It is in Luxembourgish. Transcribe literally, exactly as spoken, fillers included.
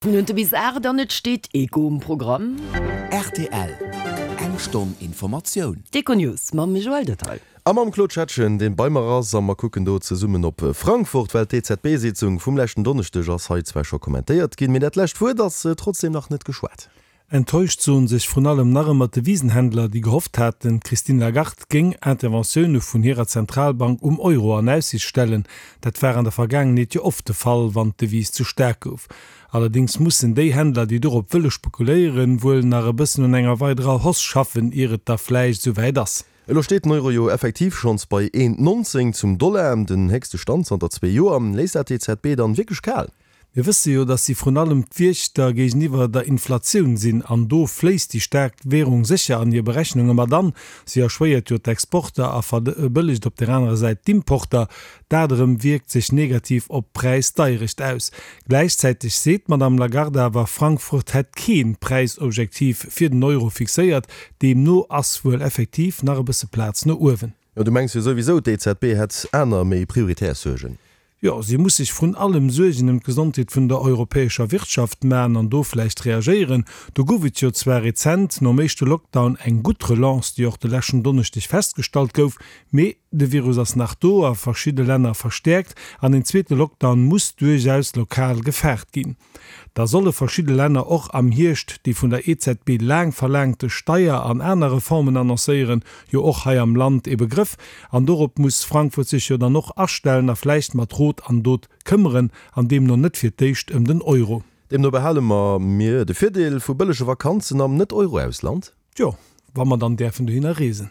Minutte bis aacht an et steet Eco um Programm. Rtl, Eng Stonn Informatioun. D'Econews mam Joël Detail. A mam Claude Schettgen, dee bei mer ass, a mer kucken do zesummen op Frankfurt, well d'EZB-Sitzung vum leschten Donneschdeg ass hei zwar scho kommentéiert ginn, mee dat lescht Wuert ass trotzdeem nach net geschwat. Enttäuscht soen sech vrun allem nach ëmmer d'Devisenhändler, déi gehofft haten, d'Christine Lagarde géing Interventioune vun hirer Zentralbank um Euro an Aussiicht stellen. Dat war an der Vergaangenheet jo oft de Fall, wann d'Devise ze staark gouf. Allerdéngs mussen déi Händler, déi dorop wëlle spekuléieren, wuel nach e bëssen un enger weiderer Hausse schaffen, ier et da vläicht esou wäit ass. Elo steet den Euro jo effektiv schonns bei een nonzéng zum Dollar, den héchste Stand zanter zwee Joer. Léisst dat d'EZB dann wierklech kal? Mir wësse jo, datt si vrun allem d'Wiechter géigeniwwer der Inflatioun sinn, an do fléisst déi staark Währung sécher an hir Berechnunge mat an. Si erschwéiert jo d'Exporter a verbëllegt op där anerer Säit d'Importer. Dat erëm wierkt sech negativ op d'Präisdeierecht aus. Gläichzäiteg seet d'Madame Lagarde awer, Frankfurt hätt kee Präisobjektiv fir den Euro fixéiert. Deemno ass wuel effektiv nach e bësse Plaz no uewen. Jo, du mengs jo souwisou, d'EZB hätt aner, méi prioritär Suergen. Jo, si muss sech vrun allem Suergen ëm d'Gesondheet vun der europäescher Wirtschaft man an do vläicht reagéieren. Do gouf et jo zwar rezent nom éischte Lockdown eng gutt Relance, déi och de leschten Donneschdeg festgestallt gouf, mee de Virus ass nach do, a verschidde Länner verstäerkt, an en zweete Lockdown muss duerchaus lokal gefaart ginn. Da solle verschidde Länner och am Hierscht déi vun der E Z B laang verlaangte Steier an aner Reformen annoncéieren, jo och hei am Land e Begrëff, an dorop muss Frankfurt sech jo dann och astellen a vläicht mat Rot an Dot këmmeren, an deemno net fir d'éischt ëm den Euro. Deemno behale mer mir de Virdeel vu bëllege Vakanzen am Net-Euro-Ausland? Tjo, wa mer dann däerfen dohinner reesen.